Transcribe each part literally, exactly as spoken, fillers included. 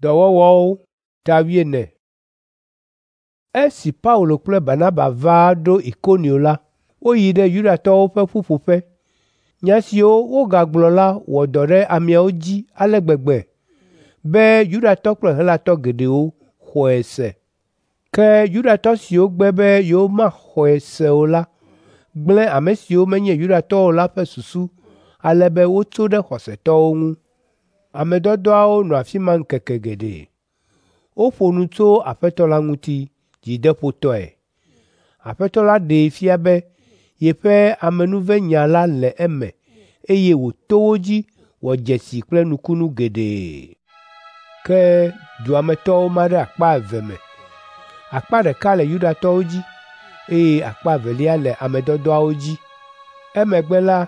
Dɔwɔwɔwo ta wuiene. Esi Paulo kple Barnaba va ɖo Ikonio la, woyi ɖe Yudatɔwo ƒe ƒuƒoƒe. Nya siwo wogagblɔ la wɔ dɔ ɖe ameawo dzi ale gbegbe be Yudatɔ kple Helatɔ geɖewo xɔe se. Ke Yudatɔ siwo gbe be yewomaxɔe se o la gblẽ ame siwo menye Yudatɔwo o la ƒe susu ale be wotso ɖe xɔsetɔwo ŋu. Ame dɔdɔawo nɔ afi ma ŋkeke geɖe. Woƒo nu tso Aƒetɔ la ŋuti dzideƒotɔe. Aƒetɔ la ɖee fia be yeƒe amenuvenya la le eme eye wòto wo dzi wɔ dzesi kple nukunu geɖe. Ke dua me tɔwo ma ɖe akpa eve me. Akpa ɖeka le Yudatɔwo dzi eye akpa evelia le ame dɔdɔawo dzi. Emegbe la,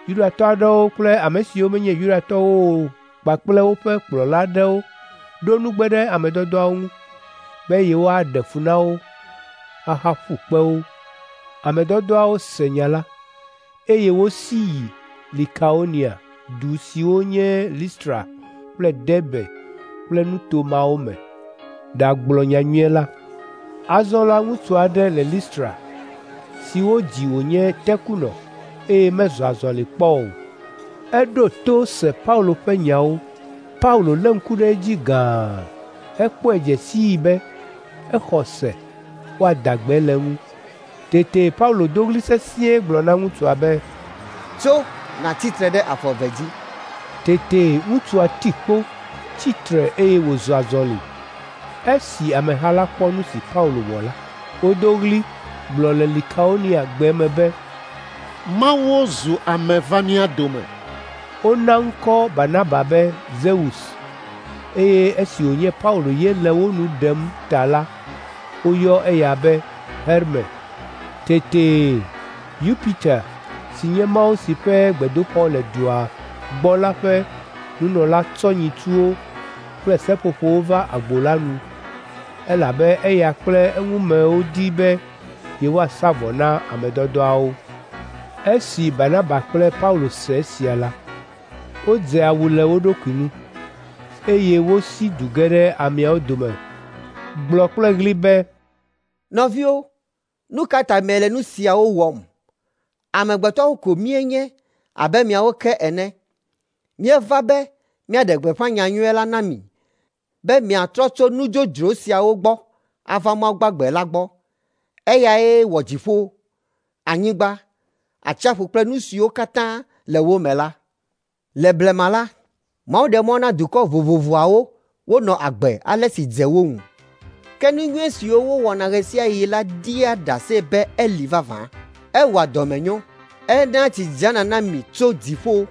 Yudatɔ aɖewo kple ame siwo menye Yudatɔwo o kpakple woƒe kplɔla aɖewo ɖo nugbe ɖe ame dɔdɔawo ŋu be yewoaɖe fu na wo ahaƒu kpe wo. Ame dɔdɔawo se nya la, eye wosi yi Likaonia du siwo nye Listra kple Derbe kple nuto mawo me ɖagblɔ nyanyui la. Azɔ la ŋutsu aɖe le Listra si wodzi wònye tekunɔ eye mezɔ azɔli kpɔ o. Eɖo to se Paulo ƒe nyawo. Paulo lé ŋku ɖe edzi gãa hekpɔe dze sii be exɔ se woada gbe le eŋu. Tete Paulo do ɣli sesĩe gblɔ na ŋutsua be, "Tso nàtsi tre ɖe afɔ eve dzi." Tete ŋutsua ti kpo, tsi tre eye wòzɔ azɔli. Esi ameha la kpɔ nu si Paulo wɔ la, wodo ɣli gblɔ le Likaonia gbe me be, "Mawuwo zu ame va mía dome." Wona ŋkɔ Barnaba be Zeus eye esi wònye Paulo ye le wo nu ɖem ta la, woyɔ eya be Herme. Tete Yupiter si nye mawu si ƒe gbedoxɔ le dua gbɔ la ƒe nunɔla tsɔ nyitsuwo kple seƒoƒowo va agbo la nu, elabe eya kple eŋumewo di be yewoasa vɔ na ame dɔdɔawo. Esi Barnaba kple Paulo se esia la, wodze awu le wo ɖokui ŋu, eye wosi du ge ɖe ameawo dome gblɔ kple ɣli be, "Nɔviwo, nu ka ta miele nu siawo wɔm? Amegbetɔwo ko míenye abe miawo ke ene. Míeva be míaɖe gbeƒã nyanyui la na mi be miatrɔ tso nu dzodzro siawo gbɔ ava Mawu gbagbe la gbɔ. Eyae wɔ dziƒo, anyigba, atsiaƒu kple nu siwo katã le wo me la. Le blema la, Mawu ɖe mɔ na dukɔ vovovoawo wonɔ agbe ale si dze wo ŋu. Ke nu nyui siwo wowɔna ɣe sia ɣi la ɖia ɖase be eli vavã. Ewɔa dɔmenyo, enaa tsi dzana na mi tso dziƒo,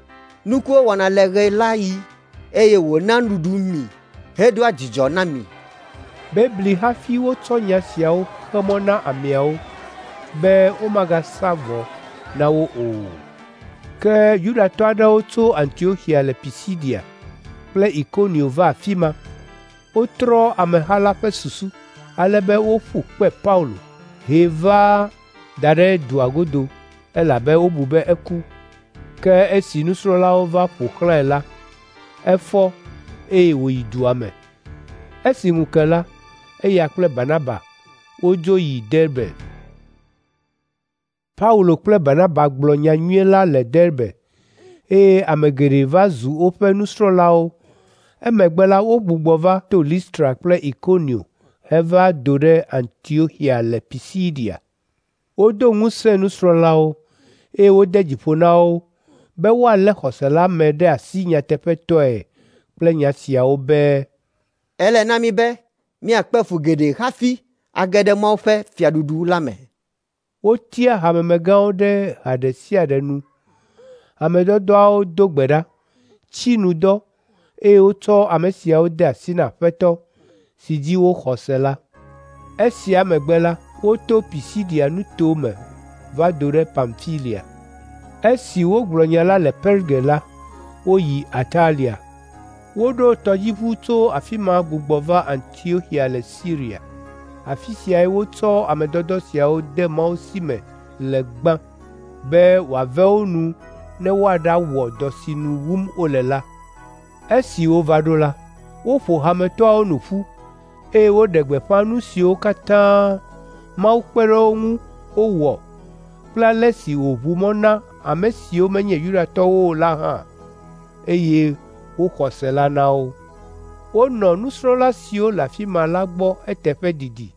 nukuwo wɔna le ɣe la ɣi, eye wòna nuɖuɖu mi hedoa dzidzɔ na mi." Bebli hafi wotsɔ nya siawo xe mɔ na ameawo be womagasa vɔ na wo o. Ke Yudatɔ aɖewo tso Antioxia le Pisidia kple Ikonio va afi ma. Wotrɔ ameha la ƒe susu ale be woƒu kpe Paulo hee va da ɖe dua godo elabe wobu be eku. Ke esi nusrɔ̃lawo va ƒo xlãe la, efɔ eye wòyi dua me. Esi ŋu ke la, eya kple Barnaba wodzo yi Derbe. Paulo kple Barnaba gblɔ nyanyui la le Derbe eye ame geɖe va zu woƒe nusrɔ̃lawo. Emegbe la wogbugbɔ va to Listra kple Ikonio heva do ɖe Antioxia le Pisidia. Wodo ŋusẽ nusrɔ̃lawo eye wode dzi ƒo na wo be woalé xɔse la me ɖe asi nyateƒetɔe kple nya siawo be, "Ele na mí be míakpe fu geɖe hafi age ɖe Mawu ƒe fiaɖuɖu la me." Wotia hamemegãwo ɖe ha ɖe sia ɖe nu. Ame dɔdɔawo do gbe ɖa, tsi nu dɔ eye wotsɔ ame siawo de asi na Aƒetɔ si dzi woxɔ se la. Esia megbe la, woto Pisidia nuto me va do ɖe Pamfilia. Esi wogblɔ nya la le Perge la, woyi Atalia. Woɖo tɔdziʋu tso afi ma gbugbɔ va Antioxia le Siria. Afi siae wotsɔ ame dɔdɔ siawo de Mawu si me le gbã be wòave wo nu ne woaɖawɔ dɔ si nu wum wole la. Esi wova ɖo la, Woƒo hametɔawo nu ƒu, eye woɖe gbeƒã nu siwo katã Mawu kpe ɖe wo ŋu wowɔ kple ale si wòʋu mɔ na ame siwo menye Yudatɔwo o la hã, eye woxɔ se la na wo. Wonɔ nusrɔ̃la siwo le afi ma la gbɔ eteƒe didi.